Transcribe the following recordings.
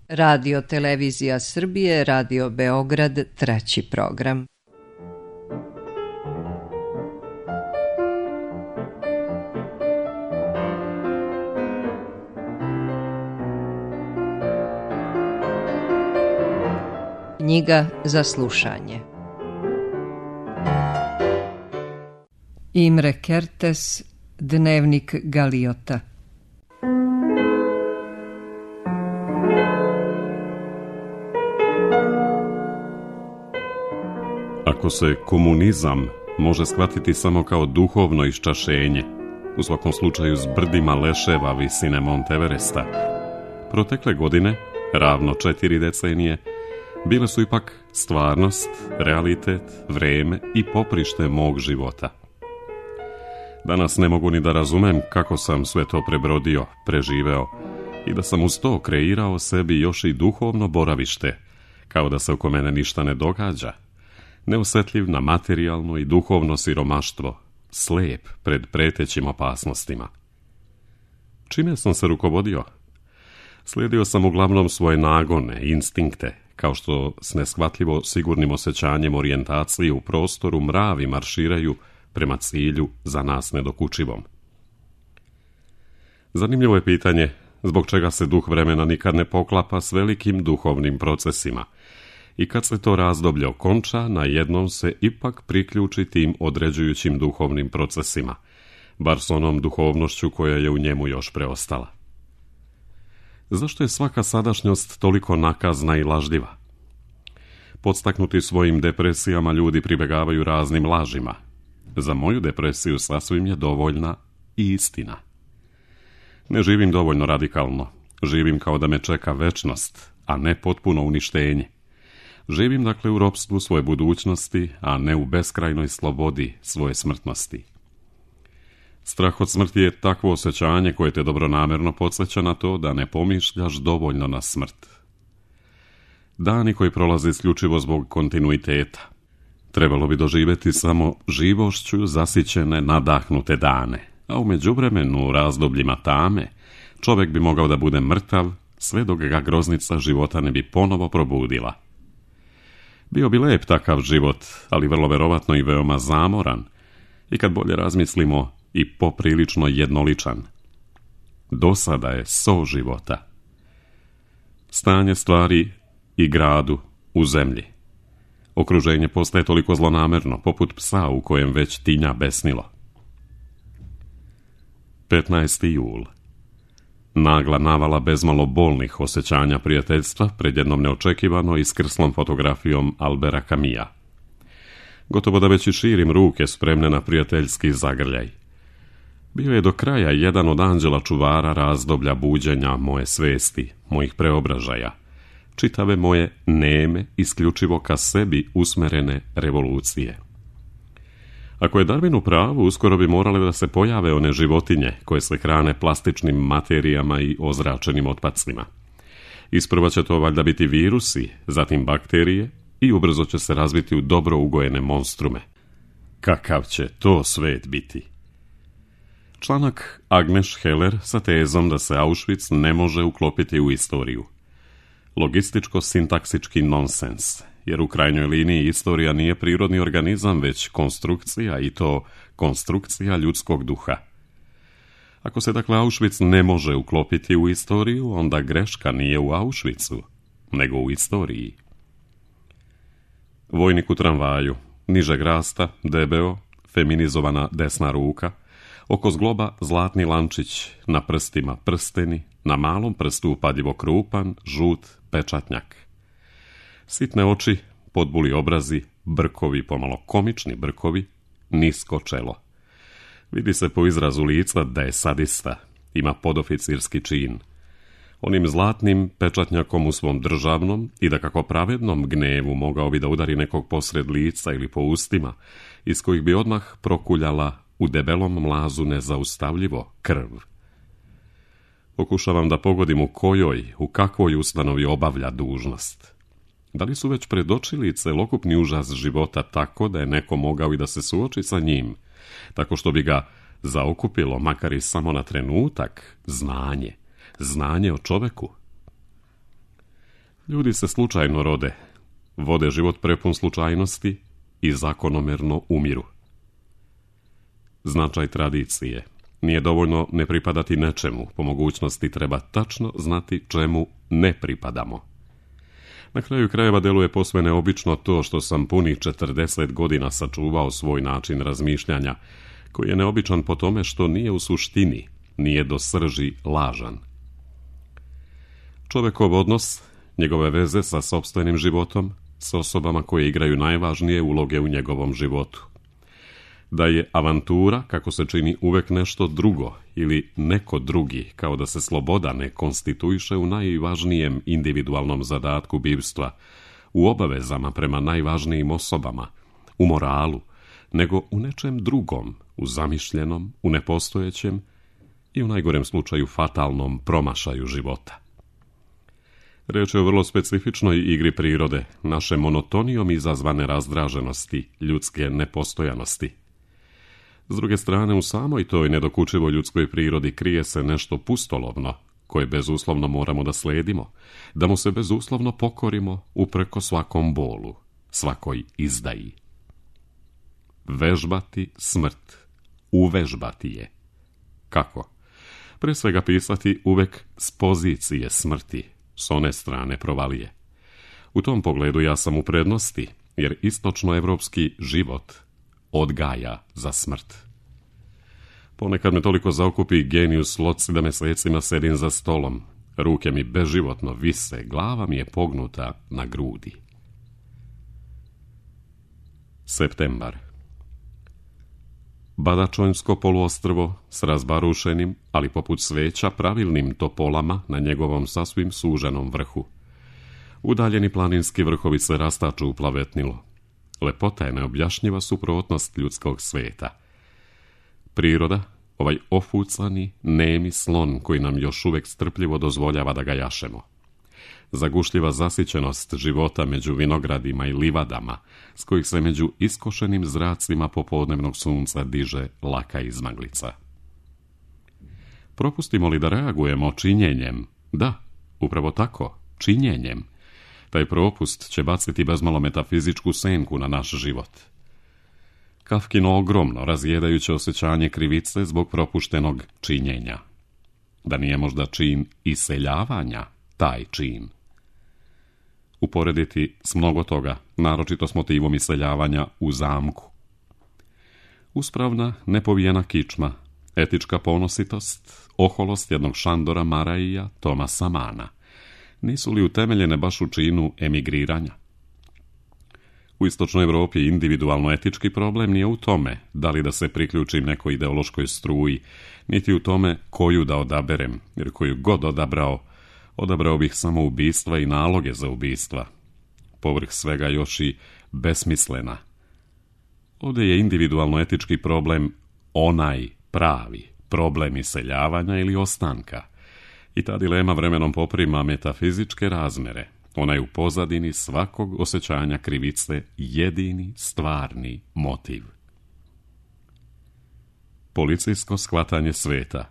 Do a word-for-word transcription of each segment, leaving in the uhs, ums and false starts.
Radio Televizija Srbije, Radio Beograd, treći program. Knjiga za slušanje. Imre Kertész, Dnevnik Galiota. Ako se komunizam može shvatiti samo kao duhovno iščašenje, u svakom slučaju s brdima leševa visine Monteveresta, protekle godine, ravno četiri decenije, bile su ipak stvarnost, realitet, vreme i poprište mog života. Danas ne mogu ni da razumem kako sam sve to prebrodio, preživeo i da sam uz to kreirao sebi još i duhovno boravište, kao da se oko mene ništa ne događa, neosjetljiv na materijalno i duhovno siromaštvo, slijep pred pretećim opasnostima. Čime sam se rukovodio? Slijedio sam uglavnom svoje nagone, instinkte, kao što s neshvatljivo sigurnim osjećanjem orijentacije u prostoru mravi marširaju prema cilju za nas nedokučivom. Zanimljivo je pitanje zbog čega se duh vremena nikad ne poklapa s velikim duhovnim procesima i kad se to razdoblje okonča, na jednom se ipak priključi tim određujućim duhovnim procesima, bar s onom duhovnošću koja je u njemu još preostala. Zašto je svaka sadašnjost toliko nakazna i lažljiva? Podstaknuti svojim depresijama ljudi pribegavaju raznim lažima. Za moju depresiju sasvim je dovoljna i istina. Ne živim dovoljno radikalno, živim kao da me čeka večnost, a ne potpuno uništenje. Živim dakle u ropstvu svoje budućnosti, a ne u beskrajnoj slobodi svoje smrtnosti. Strah od smrti je takvo osjećanje koje te dobronamerno podsjeća na to da ne pomišljaš dovoljno na smrt. Dani koji prolaze isključivo zbog kontinuiteta. Trebalo bi doživjeti samo živošću zasićene, nadahnute dane, a u međuvremenu u razdobljima tame čovjek bi mogao da bude mrtav sve dok ga groznica života ne bi ponovo probudila. Bio bi lep takav život, ali vrlo verovatno i veoma zamoran i kad bolje razmislimo i poprilično jednoličan. Dosada je so života. Stanje stvari i gradu u zemlji. Okruženje postaje toliko zlonamerno, poput psa u kojem već tinja besnilo. petnaesti jul. Nagla navala bezmalo bolnih osjećanja prijateljstva pred jednom neočekivano iskrslom fotografijom Albera Camusa. Gotovo da već i širim ruke spremne na prijateljski zagrljaj. Bio je do kraja jedan od anđela čuvara razdoblja buđenja moje svesti, mojih preobražaja, čitave moje neme, isključivo ka sebi usmerene revolucije. Ako je Darwin u pravu, uskoro bi morale da se pojave one životinje koje se hrane plastičnim materijama i ozračenim otpacima. Isprva će to valjda biti virusi, zatim bakterije i ubrzo će se razviti u dobro ugojene monstrume. Kakav će to svet biti? Članak Agnes Heller sa tezom da se Auschwitz ne može uklopiti u istoriju. Logističko-sintaksički nonsens, jer u krajnjoj liniji istorija nije prirodni organizam, već konstrukcija, i to konstrukcija ljudskog duha. Ako se dakle Auschwitz ne može uklopiti u istoriju, onda greška nije u Auschwitzu, nego u istoriji. Vojnik u tramvaju, nižeg rasta, debeo, feminizovana desna ruka, oko zgloba zlatni lančić, na prstima prsteni, na malom prstu upadljivo krupan, žut pečatnjak. Sitne oči, podbuli obrazi, brkovi, pomalo komični brkovi, nisko čelo. Vidi se po izrazu lica da je sadista, ima podoficirski čin. Onim zlatnim pečatnjakom u svom državnom i da kako pravednom gnevu mogao bi da udari nekog posred lica ili po ustima, iz kojih bi odmah prokuljala u debelom mlazu nezaustavljivo krv. Pokušavam da pogodim u kojoj, u kakvoj ustanovi obavlja dužnost. Da li su već predočili celokupni užas života tako da je neko mogao i da se suoči sa njim, tako što bi ga zaokupilo, makar i samo na trenutak, znanje, znanje o čoveku? Ljudi se slučajno rode, vode život prepun slučajnosti i zakonomerno umiru. Značaj tradicije. Nije dovoljno ne pripadati nečemu, po mogućnosti treba tačno znati čemu ne pripadamo. Na kraju krajeva deluje posve neobično to što sam punih četrdeset godina sačuvao svoj način razmišljanja, koji je neobičan po tome što nije u suštini, nije do srži lažan. Čovjekov odnos, njegove veze sa sopstvenim životom, s osobama koje igraju najvažnije uloge u njegovom životu. Da je avantura, kako se čini, uvek nešto drugo ili neko drugi, kao da se sloboda ne konstituiše u najvažnijem individualnom zadatku bivstva, u obavezama prema najvažnijim osobama, u moralu, nego u nečem drugom, u zamišljenom, u nepostojećem i u najgorem slučaju fatalnom promašaju života. Reč je o vrlo specifičnoj igri prirode, naše monotonijom izazvane razdraženosti, ljudske nepostojanosti. S druge strane, u samoj toj nedokučivoj ljudskoj prirodi krije se nešto pustolovno, koje bezuslovno moramo da sledimo, da mu se bezuslovno pokorimo upreko svakom bolu, svakoj izdaji. Vežbati smrt, uvežbati je. Kako? Pre svega pisati uvek s pozicije smrti, s one strane provalije. U tom pogledu ja sam u prednosti, jer istočnoevropski život odgaja za smrt. Ponekad me toliko zaokupi genijus loci da mesecima sedim za stolom. Ruke mi beživotno vise, glava mi je pognuta na grudi. Septembar. Badačonjsko poluostrvo s razbarušenim, ali poput sveća pravilnim topolama na njegovom sasvim suženom vrhu. Udaljeni planinski vrhovi se rastaču u plavetnilo. Lepota je neobjašnjiva suprotnost ljudskog sveta. Priroda, ovaj ofucani, nemi slon koji nam još uvek strpljivo dozvoljava da ga jašemo. Zagušljiva zasićenost života među vinogradima i livadama, s kojih se među iskošenim zracima popodnevnog sunca diže laka izmaglica. Propustimo li da reagujemo činjenjem? Da, upravo tako, činjenjem. Taj propust će baciti bezmalo metafizičku senku na naš život. Kafkino ogromno, razjedajuće osjećanje krivice zbog propuštenog činjenja. Da nije možda čin iseljavanja taj čin. Uporediti s mnogo toga, naročito s motivom iseljavanja u zamku. Uspravna, nepovijena kičma, etička ponositost, oholost jednog Šandora Maraija, Tomasa Mana. Nisu li utemeljene baš u činu emigriranja? U istočnoj Evropi individualno etički problem nije u tome da li da se priključim nekoj ideološkoj struji, niti u tome koju da odaberem, jer koju god odabrao, odabrao bih samo ubistva i naloge za ubistva. Povrh svega još i besmislena. Ovdje je individualno etički problem onaj pravi problem iseljavanja ili ostanka. I ta dilema vremenom poprima metafizičke razmere. Ona je u pozadini svakog osjećanja krivice jedini stvarni motiv. Policijsko shvatanje sveta.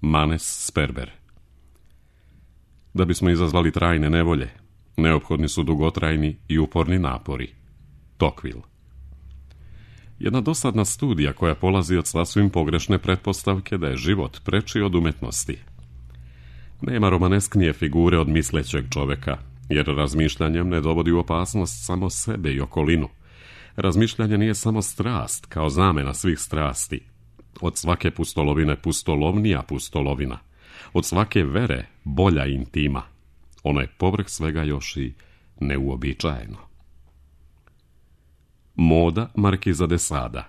Manes Sperber. Da bismo izazvali trajne nevolje, neophodni su dugotrajni i uporni napori. Tocqueville. Jedna dosadna studija koja polazi od sasvim pogrešne pretpostavke da je život preči od umetnosti. Nema romanesknije figure od mislećeg čoveka, jer razmišljanjem ne dovodi u opasnost samo sebe i okolinu. Razmišljanje nije samo strast, kao zamena svih strasti. Od svake pustolovine pustolovnija pustolovina. Od svake vere bolja intima. Ono je povrh svega još i neuobičajeno. Moda Markiza de Sada.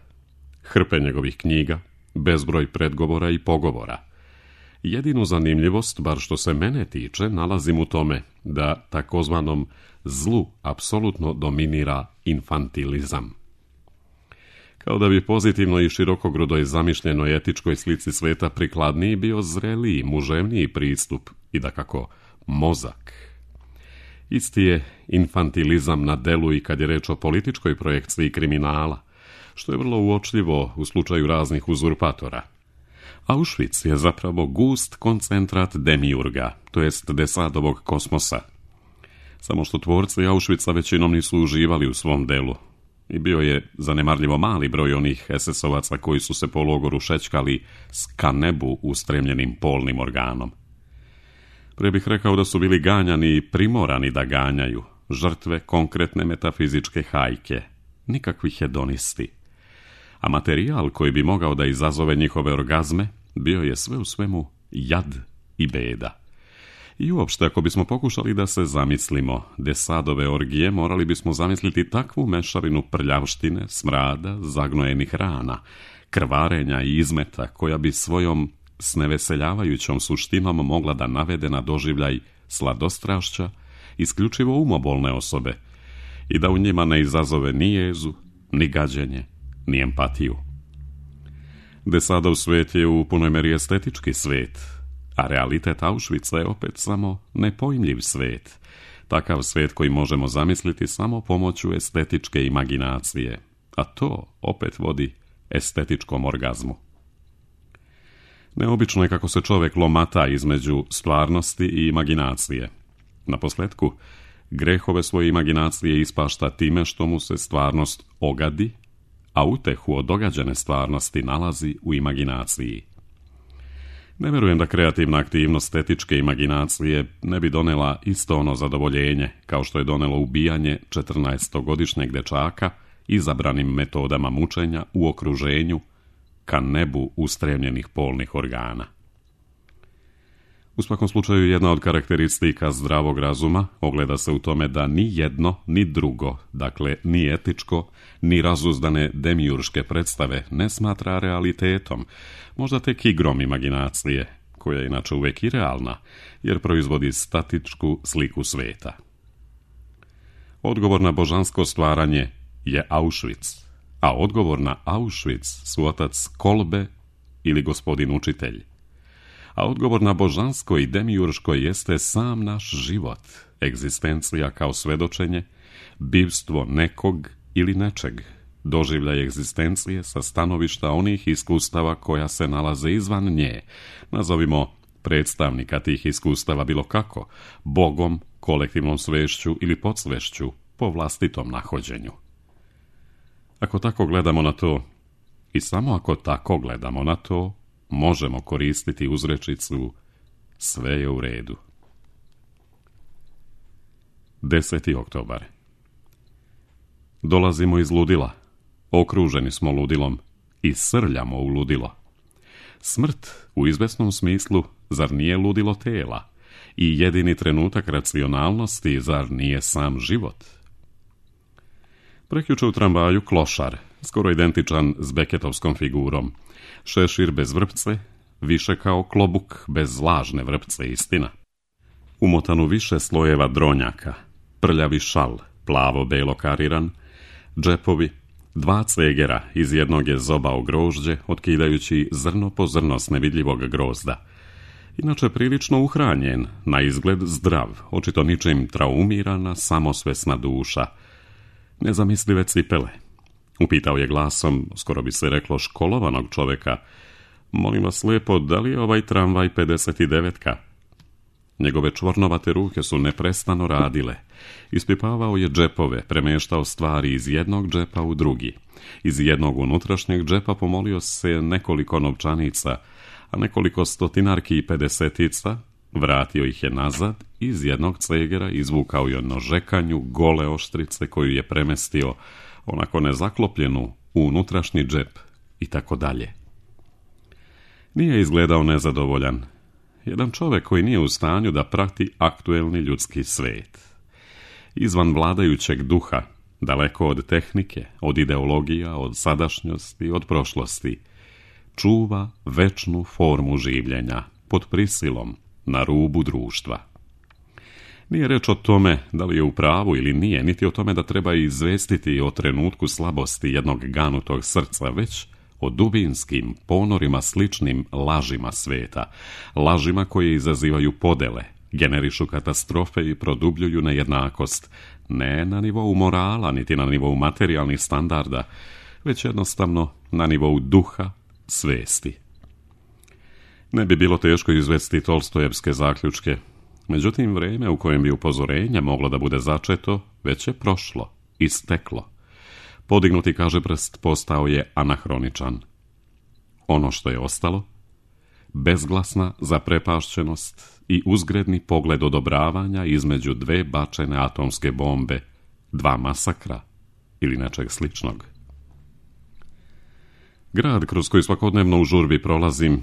Hrpe njegovih knjiga, bezbroj predgovora i pogovora. Jedinu zanimljivost, bar što se mene tiče, nalazim u tome da takozvanom zlu apsolutno dominira infantilizam. Kao da bi pozitivno i širokogrudoj zamišljenoj etičkoj slici sveta prikladniji bio zreliji, muževniji pristup i dakako mozak. Isti je infantilizam na delu i kad je reč o političkoj projekciji kriminala, što je vrlo uočljivo u slučaju raznih uzurpatora. Auschwitz je zapravo gust koncentrat demiurga, to jest Desadovog kosmosa. Samo što tvorci Auschwitza većinom nisu uživali u svom delu. I bio je zanemarljivo mali broj onih es es ovaca koji su se po logoru šećkali s ka nebu ustremljenim polnim organom. Pre bih rekao da su bili ganjani i primorani da ganjaju, žrtve konkretne metafizičke hajke, nikakvi hedonisti. A materijal koji bi mogao da izazove njihove orgazme bio je sve u svemu jad i beda. I uopšte, ako bismo pokušali da se zamislimo Desadove orgije, morali bismo zamisliti takvu mešavinu prljavštine, smrada, zagnojenih rana, krvarenja i izmeta, koja bi svojom sneveseljavajućom suštinom mogla da navede na doživljaj sladostrašća isključivo umobolne osobe i da u njima ne izazove ni jezu, ni gađenje, ni empatiju. Desadov svet je u punoj meri estetički svet, a realitet Auschwitza je opet samo nepojmljiv svet, takav svet koji možemo zamisliti samo pomoću estetičke imaginacije, a to opet vodi estetičkom orgazmu. Neobično je kako se čovjek lomata između stvarnosti i imaginacije. Naposletku, grehove svoje imaginacije ispašta time što mu se stvarnost ogadi, a utehu od događane stvarnosti nalazi u imaginaciji. Ne vjerujem da kreativna aktivnost etičke imaginacije ne bi donela isto ono zadovoljenje kao što je donelo ubijanje četrnaestogodišnjeg dečaka izabranim metodama mučenja u okruženju ka nebu ustremljenih polnih organa. U svakom slučaju, jedna od karakteristika zdravog razuma ogleda se u tome da ni jedno, ni drugo, dakle ni etičko, ni razuzdane demiurške predstave ne smatra realitetom, možda tek igrom imaginacije, koja je inače uvijek i realna, jer proizvodi statičku sliku sveta. Odgovor na božansko stvaranje je Auschwitz, a odgovor na Auschwitz su otac Kolbe ili gospodin učitelj. A odgovor na božansko i demiurško jeste sam naš život, egzistencija kao svedočenje, bivstvo nekog ili nečeg, doživljaj egzistencije sa stanovišta onih iskustava koja se nalaze izvan nje, nazovimo predstavnika tih iskustava bilo kako, Bogom, kolektivnom svešću ili podsvešću, po vlastitom nahođenju. Ako tako gledamo na to, i samo ako tako gledamo na to, možemo koristiti uzrečicu sve je u redu. deseti oktobar. Dolazimo iz ludila, okruženi smo ludilom i srljamo u ludilo. Smrt, u izvesnom smislu, zar nije ludilo tela i jedini trenutak racionalnosti, zar nije sam život? Prekjuče u tramvaju klošar, skoro identičan s Beketovskom figurom, šešir bez vrpce, više kao klobuk bez lažne vrpce, istina. Umotan u više slojeva dronjaka, prljavi šal, plavo-belo kariran, džepovi, dva cegera, iz jednog je zobao grožđe, otkidajući zrno po zrno s nevidljivog grozda. Inače prilično uhranjen, na izgled zdrav, očito ničim traumirana, samosvesna duša. Nezamislive cipele. Upitao je glasom, skoro bi se reklo školovanog čoveka, molim vas lijepo, da li je ovaj tramvaj pedeset devetka? Njegove čvornovate ruke su neprestano radile. Ispipavao je džepove, premeštao stvari iz jednog džepa u drugi. Iz jednog unutrašnjeg džepa pomolio se nekoliko novčanica, a nekoliko stotinarki i pedesetica, vratio ih je nazad, iz jednog cegera izvukao je nožekanju gole oštrice koju je premestio, onako nezaklopljenu, u unutrašnji džep i tako dalje. Nije izgledao nezadovoljan. Jedan čovjek koji nije u stanju da prati aktuelni ljudski svet. Izvan vladajućeg duha, daleko od tehnike, od ideologija, od sadašnjosti, od prošlosti, čuva večnu formu življenja, pod prisilom, na rubu društva. Nije reč o tome da li je u pravu ili nije, niti o tome da treba izvestiti o trenutku slabosti jednog ganutog srca, već o dubinskim ponorima sličnim lažima sveta, lažima koje izazivaju podele, generišu katastrofe i produbljuju nejednakost, ne na nivou morala, niti na nivou materijalnih standarda, već jednostavno na nivou duha, svesti. Ne bi bilo teško izvesti Tolstojevske zaključke. Međutim, vrijeme u kojem bi upozorenje moglo da bude začeto, već je prošlo, isteklo. Podignuti kažeprst postao je anahroničan. Ono što je ostalo, bezglasna zaprepašćenost i uzgredni pogled odobravanja između dve bačene atomske bombe, dva masakra ili nečeg sličnog. Grad kroz koji svakodnevno u žurbi prolazim,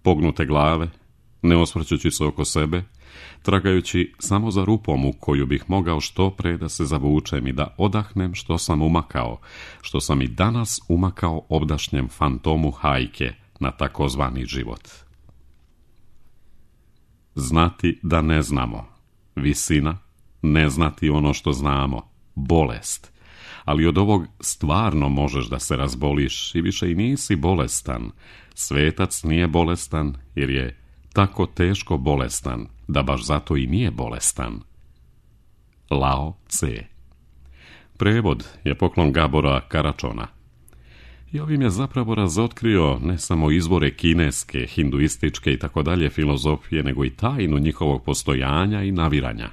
pognute glave, ne osvrćući se oko sebe, tragajući samo za rupom u koju bih mogao što pre da se zavučem i da odahnem što sam umakao, što sam i danas umakao obdašnjem fantomu hajke na takozvani život. Znati da ne znamo, visina, ne znati ono što znamo, bolest, ali od ovog stvarno možeš da se razboliš i više i nisi bolestan. Svetac nije bolestan jer je tako teško bolestan da baš zato i nije bolestan. Lao Tse. Prevod je poklon Gabora Karačona. I ovim je zapravo razotkrio ne samo izvore kineske, hinduističke i tako dalje filozofije, nego i tajnu njihovog postojanja i naviranja.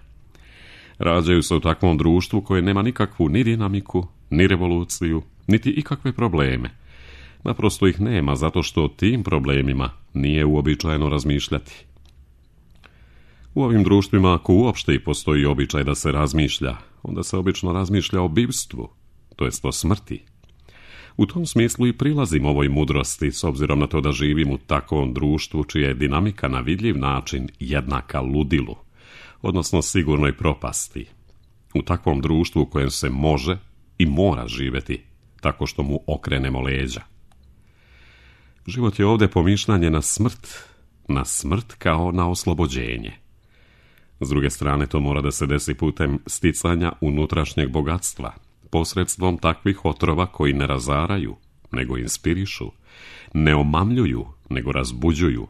Rađaju se u takvom društvu koje nema nikakvu ni dinamiku, ni revoluciju, niti ikakve probleme. Naprosto ih nema zato što o tim problemima nije uobičajeno razmišljati. U ovim društvima, ako uopšte i postoji običaj da se razmišlja, onda se obično razmišlja o bivstvu, to jest o smrti. U tom smislu i prilazim ovoj mudrosti, s obzirom na to da živim u takvom društvu čija je dinamika na vidljiv način jednaka ludilu, odnosno sigurnoj propasti. U takvom društvu u kojem se može i mora živjeti, tako što mu okrenemo leđa. Život je ovdje pomišljanje na smrt, na smrt kao na oslobođenje. S druge strane, to mora da se desi putem sticanja unutrašnjeg bogatstva, posredstvom takvih otrova koji ne razaraju, nego inspirišu, ne omamljuju, nego razbuđuju,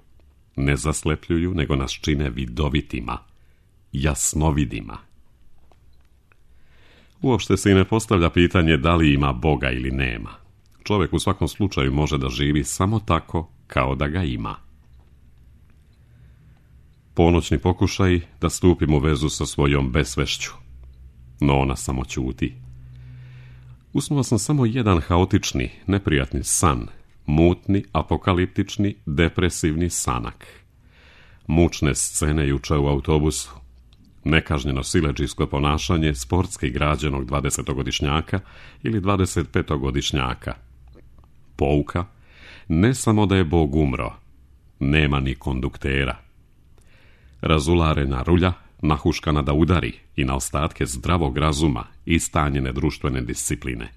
ne zaslepljuju, nego nas čine vidovitima, jasnovidima. Uopšte se i ne postavlja pitanje da li ima Boga ili nema. Čovjek u svakom slučaju može da živi samo tako kao da ga ima. Ponoćni pokušaj da stupim u vezu sa svojom besvešću, no ona samo ćuti. Usnuo sam samo jedan haotični, neprijatni san, mutni, apokaliptični, depresivni sanak. Mučne scene juče u autobusu, nekažnjeno siledžijsko ponašanje sportski građenog dvadesetogodišnjaka ili dvadesetpetogodišnjaka. Pouka, ne samo da je Bog umro, nema ni konduktera. Razularena rulja, nahuškana da udari i na ostatke zdravog razuma i stanjene društvene discipline.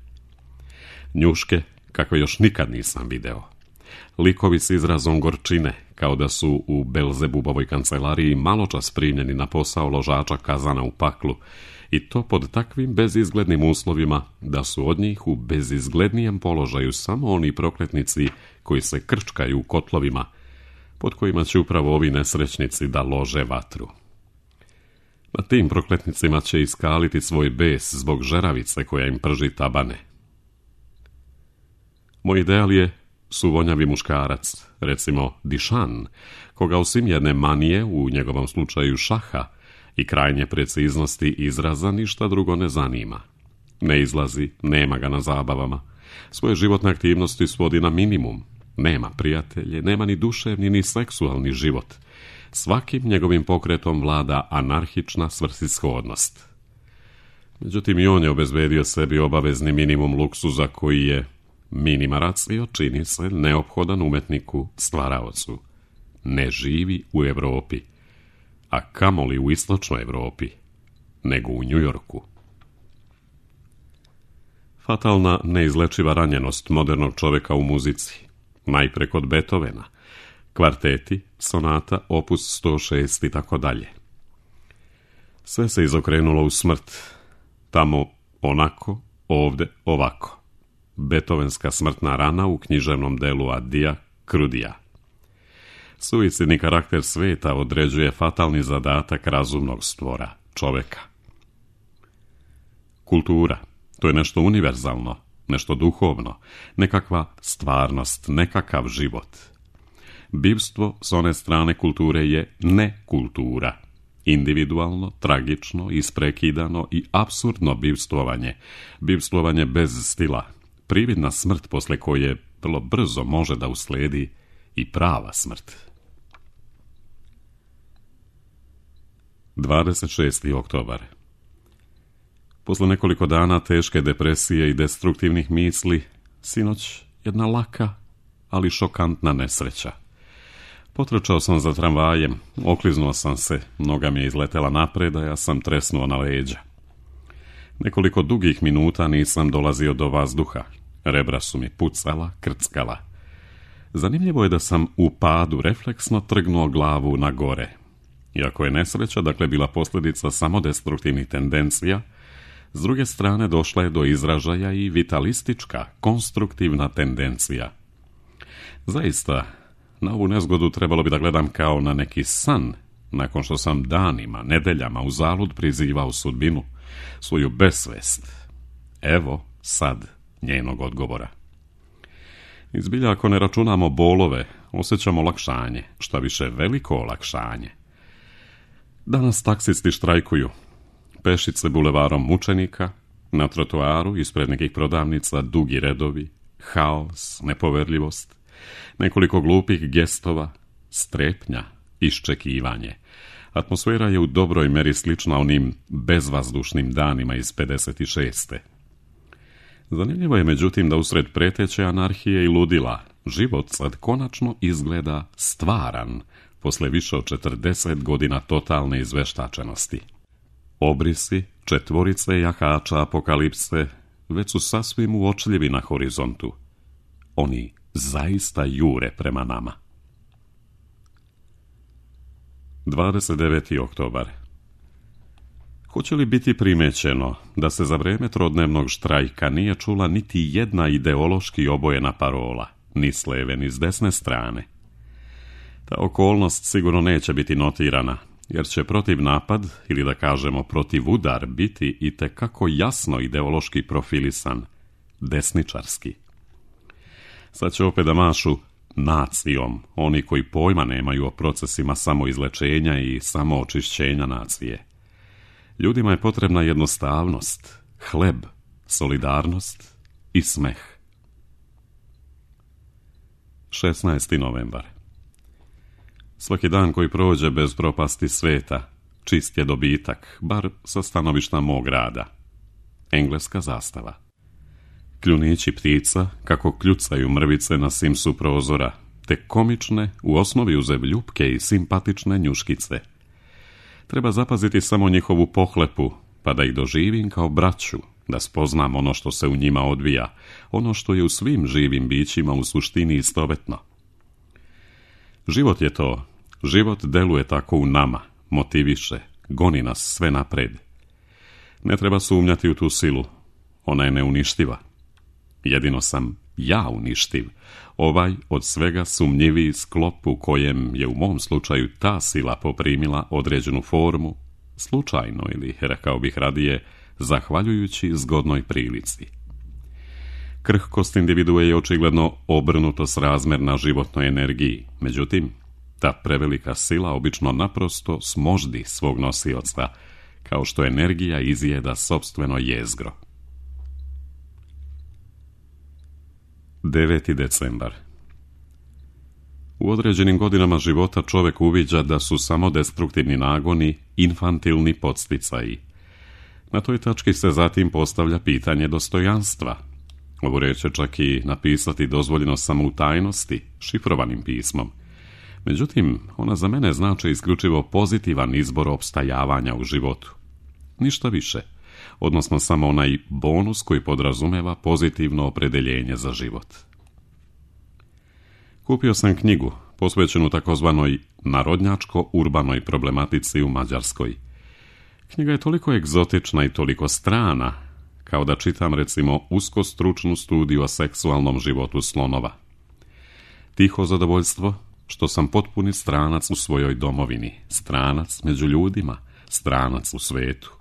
Njuške, kakve još nikad nisam video. Likovi s izrazom gorčine, kao da su u Belzebubovoj kancelariji maločas primljeni na posao ložača kazana u paklu, i to pod takvim bezizglednim uslovima da su od njih u bezizglednijem položaju samo oni prokletnici koji se krčkaju u kotlovima, pod kojima će upravo ovi nesrećnici da lože vatru. Na tim prokletnicima će iskaliti svoj bes zbog žeravice koja im prži tabane. Moj ideal je suvonjavi muškarac, recimo Dišan, koga osim jedne manije, u njegovom slučaju šaha, i krajnje preciznosti izraza ništa drugo ne zanima. Ne izlazi, nema ga na zabavama, svoje životne aktivnosti svodi na minimum, nema prijatelje, nema ni duševni ni seksualni život. Svakim njegovim pokretom vlada anarhična svrsishodnost. Međutim, i on je obezbedio sebi obavezni minimum luksuza koji je minima ratio, čini se, neophodan umetniku, stvaraocu. Ne živi u Evropi, a kamoli u istočnoj Evropi, nego u Njujorku. Fatalna, neizlečiva ranjenost modernog čovjeka u muzici, najpre kod Beethovena, kvarteti, sonata, opus sto šest i tako dalje. Sve se izokrenulo u smrt, tamo onako, ovde ovako. Beethovenska smrtna rana u književnom delu Adija Krudija. Suicidni karakter sveta određuje fatalni zadatak razumnog stvora, čoveka. Kultura, to je nešto univerzalno, nešto duhovno, nekakva stvarnost, nekakav život. Bivstvo s one strane kulture je nekultura individualno, tragično, isprekidano i apsurdno bivstvovanje, bivstvovanje bez stila, prividna smrt posle koje vrlo brzo može da usledi i prava smrt. dvadeset šesti oktobar. Posle nekoliko dana teške depresije i destruktivnih misli, sinoć jedna laka, ali šokantna nesreća. Potrčao sam za tramvajem, okliznuo sam se, noga mi je izletela napred, a ja sam tresnuo na leđa. Nekoliko dugih minuta nisam dolazio do vazduha, rebra su mi pucala, krckala. Zanimljivo je da sam u padu refleksno trgnuo glavu na gore. Iako je nesreća, dakle, bila posljedica samo destruktivnih tendencija, s druge strane došla je do izražaja i vitalistička, konstruktivna tendencija. Zaista, na ovu nezgodu trebalo bi da gledam kao na neki san, nakon što sam danima, nedeljama uzalud prizivao sudbinu, svoju besvest. Evo sad njenog odgovora. Izbilja, ako ne računamo bolove, osjećamo olakšanje, šta više veliko olakšanje. Danas taksisti štrajkuju. Pešice bulevarom mučenika, na trotoaru ispred nekih prodavnica dugi redovi, haos, nepoverljivost, nekoliko glupih gestova, strepnja, iščekivanje. Atmosfera je u dobroj meri slična onim bezvazdušnim danima iz pedeset šeste. Zanimljivo je međutim da usred preteće anarhije i ludila život sad konačno izgleda stvaran posle više od četrdeset godina totalne izveštačenosti. Obrisi, četvorice jahača apokalipse već su sasvim uočljivi na horizontu. Oni zaista jure prema nama. dvadeset deveti oktobar. Hoće li biti primećeno da se za vreme trodnevnog štrajka nije čula niti jedna ideološki obojena parola, ni s leve ni s desne strane? Ta okolnost sigurno neće biti notirana, jer će protiv napad, ili da kažemo protiv udar, biti itekako jasno ideološki profilisan, desničarski. Sad će opet da mašu nacijom oni koji pojma nemaju o procesima samoizlečenja i samoočišćenja nacije. Ljudima je potrebna jednostavnost, hleb, solidarnost i smeh. šesnaesti novembar. Svaki dan koji prođe bez propasti sveta, čist je dobitak, bar sa stanovišta mog rada. Engleska zastava. Kljunići ptica, kako kljucaju mrvice na simsu prozora, te komične, u osnovi uzev ljupke i simpatične njuškice. Treba zapaziti samo njihovu pohlepu, pa da ih doživim kao braću, da spoznam ono što se u njima odvija, ono što je u svim živim bićima u suštini istovetno. Život je to. Život deluje tako u nama, motiviše, goni nas sve napred. Ne treba sumnjati u tu silu. Ona je neuništiva. Jedino sam ja uništiv, ovaj od svega sumnjiviji sklop u kojem je u mom slučaju ta sila poprimila određenu formu, slučajno ili, rekao bih radije, zahvaljujući zgodnoj prilici. Krhkost individue je očigledno obrnuto srazmerna životnoj energiji, međutim, ta prevelika sila obično naprosto smoždi svog nosioca, kao što energija izjeda sopstveno jezgro. deveti decembar. U određenim godinama života čovjek uviđa da su samo destruktivni nagoni infantilni podsticaji. Na toj tački se zatim postavlja pitanje dostojanstva. Ovu reč je čak i napisati dozvoljeno samo u tajnosti, šifrovanim pismom. Međutim, ona za mene znači isključivo pozitivan izbor opstajavanja u životu. Ništa više, odnosno samo onaj bonus koji podrazumeva pozitivno opredeljenje za život. Kupio sam knjigu, posvećenu takozvanoj narodnjačko-urbanoj problematici u Mađarskoj. Knjiga je toliko egzotična i toliko strana, kao da čitam recimo uskostručnu studiju o seksualnom životu slonova. Tiho zadovoljstvo što sam potpuni stranac u svojoj domovini, stranac među ljudima, stranac u svetu.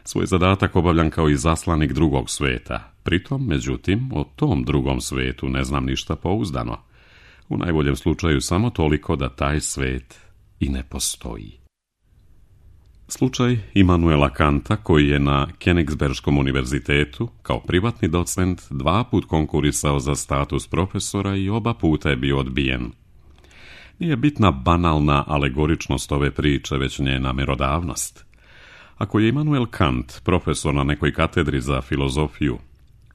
Svoj zadatak obavljam kao i zaslanik drugog sveta, pritom, međutim, o tom drugom svetu ne znam ništa pouzdano. U najboljem slučaju samo toliko da taj svet i ne postoji. Slučaj Immanuela Kanta, koji je na Königsbergskom univerzitetu kao privatni docent dva put konkurisao za status profesora i oba puta je bio odbijen. Nije bitna banalna alegoričnost ove priče, već njena merodavnost. Ako je Immanuel Kant profesor na nekoj katedri za filozofiju,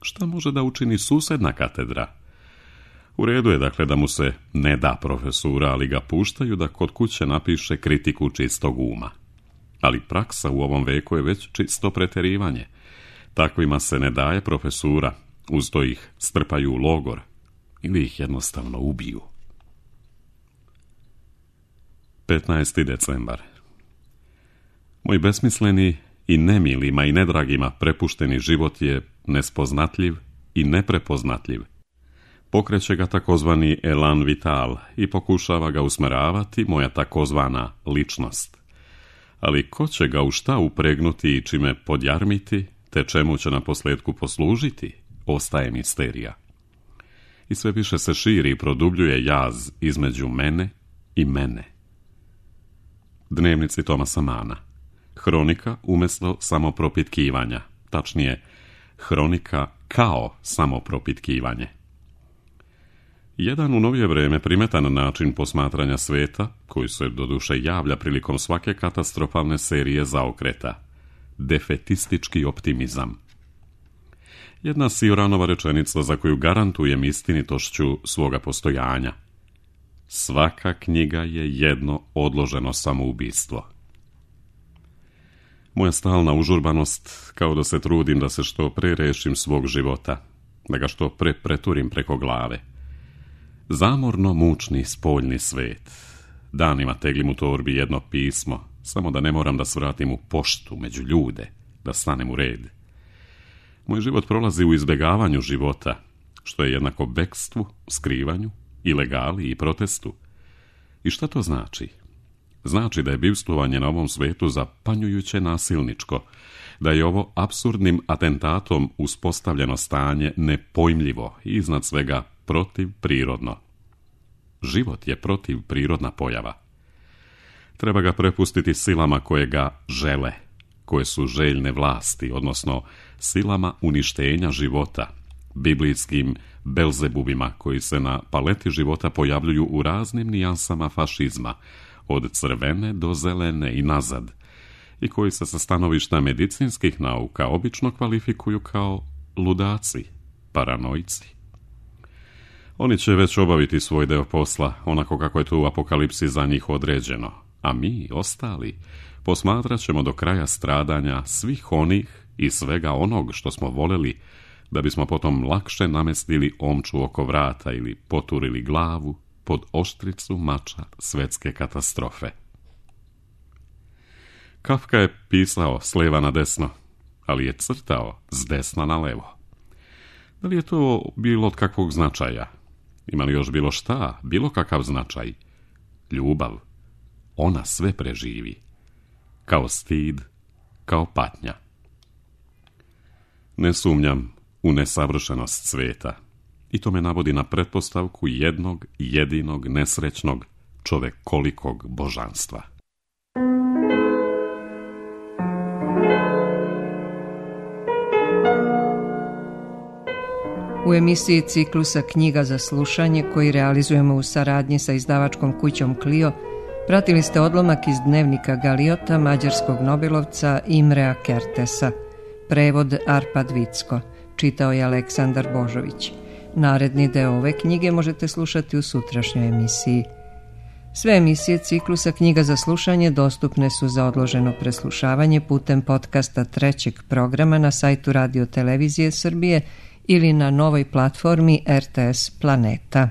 šta može da učini susedna katedra? U redu je dakle da mu se ne da profesura, ali ga puštaju da kod kuće napiše kritiku čistog uma. Ali praksa u ovom veku je već čisto preterivanje. Takvima se ne daje profesura, uz to ih strpaju u logor ili ih jednostavno ubiju. petnaesti decembar. Moj besmisleni i nemilima i nedragima prepušteni život je nespoznatljiv i neprepoznatljiv. Pokreće ga takozvani elan vital i pokušava ga usmeravati moja takozvana ličnost. Ali ko će ga u šta upregnuti i čime podjarmiti, te čemu će na posljedku poslužiti, ostaje misterija. I sve više se širi i produbljuje jaz između mene i mene. Dnevnici Thomasa Manna. Hronika umjesto samopropitkivanja, tačnije, hronika kao samopropitkivanje. Jedan u novije vrijeme primetan način posmatranja sveta, koji se doduše javlja prilikom svake katastrofalne serije zaokreta, defetistički optimizam. Jedna Sioranova rečenica za koju garantujem istinitošću svoga postojanja. Svaka knjiga je jedno odloženo samoubistvo. Moja stalna užurbanost, kao da se trudim da se što pre rešim svog života, da ga što pre preturim preko glave. Zamorno mučni spoljni svet. Danima teglim u torbi jedno pismo, samo da ne moram da svratim u poštu među ljude, da stanem u red. Moj život prolazi u izbjegavanju života, što je jednako bekstvu, skrivanju, ilegali i protestu. I šta to znači? Znači da je bivstvovanje na ovom svetu zapanjujuće nasilničko, da je ovo apsurdnim atentatom uspostavljeno stanje nepojmljivo i iznad svega protivprirodno. Život je protivprirodna pojava. Treba ga prepustiti silama koje ga žele, koje su željne vlasti, odnosno silama uništenja života, biblijskim Belzebubima koji se na paleti života pojavljuju u raznim nijansama fašizma, od crvene do zelene i nazad, i koji se sa stanovišta medicinskih nauka obično kvalifikuju kao ludaci, paranojci. Oni će već obaviti svoj deo posla, onako kako je to u apokalipsi za njih određeno, a mi, ostali, posmatrat ćemo do kraja stradanja svih onih i svega onog što smo voleli, da bismo potom lakše namestili omču oko vrata ili poturili glavu pod oštricu mača svetske katastrofe. Kafka je pisao s leva na desno, ali je crtao s desna na levo. Da li je to bilo od kakvog značaja? Ima li još bilo šta, bilo kakav značaj? Ljubav. Ona sve preživi. Kao stid, kao patnja. Ne sumnjam u nesavršenost sveta. I to me navodi na pretpostavku jednog jedinog nesrećnog čovekolikog božanstva. U emisiji ciklusa Knjiga za slušanje, koji realizujemo u saradnji sa izdavačkom kućom Clio, pratili ste odlomak iz dnevnika Galiota mađarskog nobelovca Imrea Kertesa. Prevod Arpad Vicko. Čitao je Aleksandar Božović. Naredni deo ove knjige možete slušati u sutrašnjoj emisiji. Sve emisije ciklusa Knjiga za slušanje dostupne su za odloženo preslušavanje putem podcasta trećeg programa na sajtu Radio Televizije Srbije ili na novoj platformi R T S Planeta.